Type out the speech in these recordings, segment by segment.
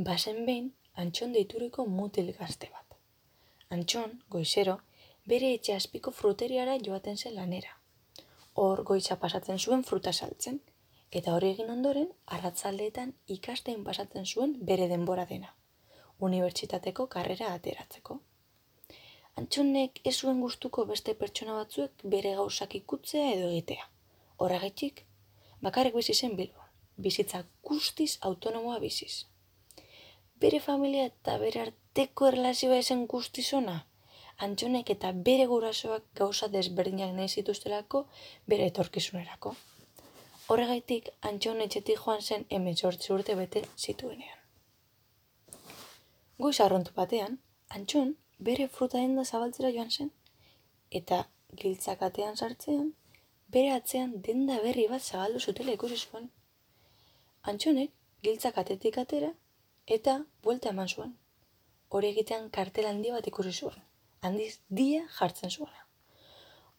bazen behin Antxon deituriko mutil gazte bat. Antxon, goizero, bere etxe azpiko fruteriara joaten zen lanera. Hor goiza pasatzen zuen fruta saltzen, eta hori egin ondoren, arratzaldeetan ikastein pasatzen zuen bere denbora dena, unibertsitateko karrera ateratzeko. Antxonek ez zuen gustuko beste pertsona batzuek bere gauzak ikutzea edo egitea. Horregatik, bakarrik bizi zen Bilbon, bizitza guztiz autonomoa biziz. Bere familia eta bere arteko erlazioa esen guztiz ona, Antxonek eta bere gurasoak gauza desberdinak nahi zituztelako bere etorkizunerako. Horregaitik, Antxon etxetik joan zen 18 urte bete zituenean. Goiz arrontu batean, Antxon bere fruta denda zabaltzera joan zen, eta giltzakatean sartzean, bere atzean denda berri bat zabaldu zutela ikusi zuen. Antxonek giltzakatetik atera eta buelta eman zuen. Hori egitean kartel handi bat ikusi zuen, handiz dia jartzen zuena.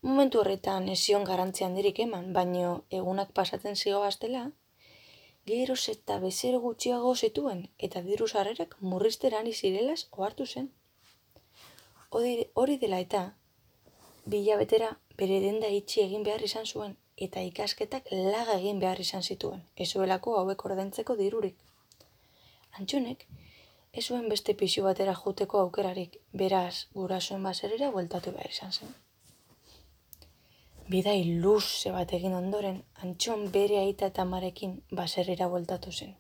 Momentu horretan ez zion garrantzi handirik eman, baino egunak pasatzen zigoaztela, geroz eta bezero gutxiago zituen eta diru sarrerak murrizteran izirelaz ohartu zen. Hori dela eta, 2 hilabetera bere denda itxi egin behar izan zuen eta ikasketak laga egin behar izan zituen, ez zuelako hauek ordaintzeko dirurik. Antxonek ez zuen beste pisu batera joteko aukerarik, beraz gurasoen baserrira bueltatu behar izan zen. Bidai luze bat egin ondoren, Antxon bere aita eta amarekin baserrira bueltatu zen.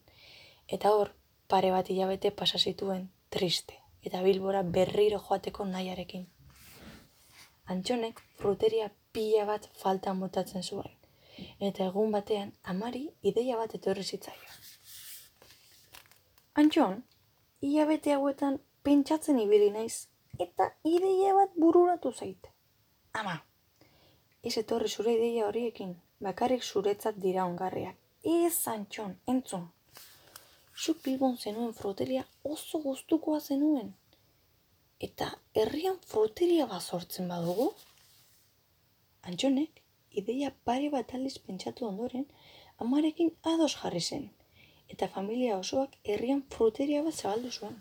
Eta hor, pare bat hilabete pasa zituen triste eta Bilbora berriro joateko nahiarekin. Antxonek fruteria pila bat falta motatzen zuen, eta egun batean amari ideia bat etorri zitzaion. Antxon, hilabete hauetan pentsatzen ibili naiz, eta ideia bat bururatu zait. Ama, ez etorri zure ideia horiekin, bakarrik zuretzat dira ongarriak. Ez, Antxon, entzun. Zuk Bilbon zenuen fruteria oso gustukoa zenuen. Eta herrian fruteria bat sortzen badugu? Antxonek, ideia pare bat aldiz pentsatu ondoren, amarekin ados jarri zen, eta familia osoak herrian fruteria bat zabaldu zuen.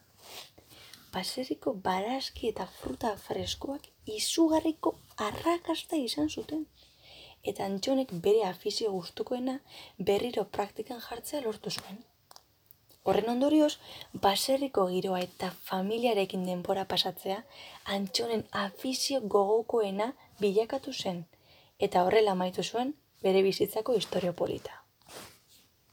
Baserriko barazki eta fruta freskoak izugarriko arrakasta izan zuten, eta Antxonek bere afizio gustukoena berriro praktikan jartzea lortu zuen. Horren ondorioz, baserriko giroa eta familiarekin denbora pasatzea Antxonen afizio gogokoena bilakatu zen, eta horrela amaitu zuen bere bizitzako istorio polita.